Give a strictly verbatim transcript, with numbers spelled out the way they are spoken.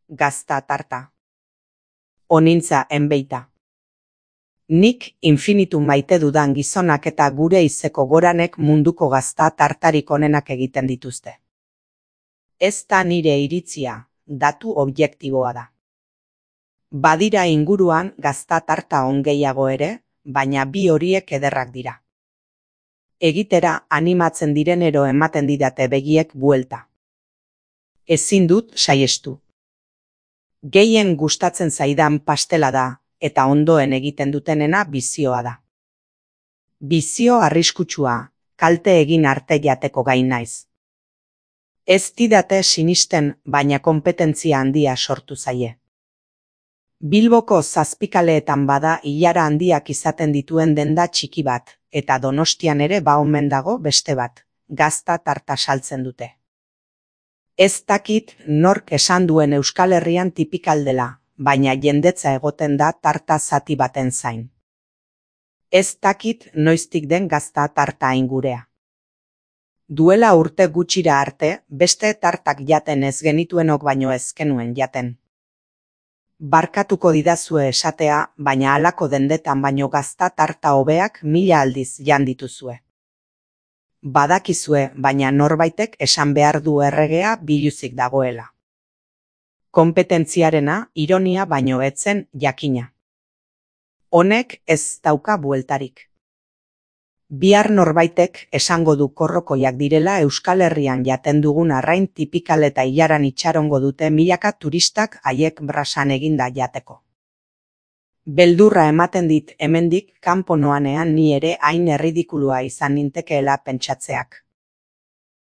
gazta tarta. Onintza enbeita. Nik infinitu maite dudan gizonak eta gure izeko goranek munduko gazta tartarik onenak egiten dituzte. Ez da nire iritzia, datu objektiboa da. Badira inguruan gazta tarta on gehiago ere, baina bi horiek ederrak dira. Egitera animatzen direnero ematen didate begiek buelta. Ezin dut saiestu. Gehien gustatzen zaidan pastela da, eta ondoen egiten dutenena bizioa da. Bizio arriskutsua, kalte egin arte jateko gai naiz. Ez didate sinisten, baina konpetentzia handia sortu zaie. Bilboko zazpikaleetan bada ilara handiak izaten dituen denda txiki bat, eta Donostian ere ba omen dago beste bat, gazta tarta saltzen dute. Ez dakit nork esan duen Euskal Herrian tipikal dela, baina jendetza egoten da tarta zati baten zain. Ez dakit noiztik den gazta tarta ingurea. Duela urte gutxira arte, beste tartak jaten ez genituenok baino ez genuen jaten. Barkatuko didazue esatea, baina halako dendetan baino gazta tarta hobeak mila aldiz jan dituzue. Badakizue, baina norbaitek esan behar du erregea biluzik dagoela. Konpetentziarena ironia baino etzen jakina. Honek ez dauka bueltarik. Bihar norbaitek esango du korrokoiak direla Euskal Herrian jaten dugun arrain tipikal eta ilaran itxarongo dute milaka turistak haiek brasan eginda jateko. Beldurra ematen dit hemendik kanpo noanean ni ere hain erridikulua izan nintekeela pentsatzeak.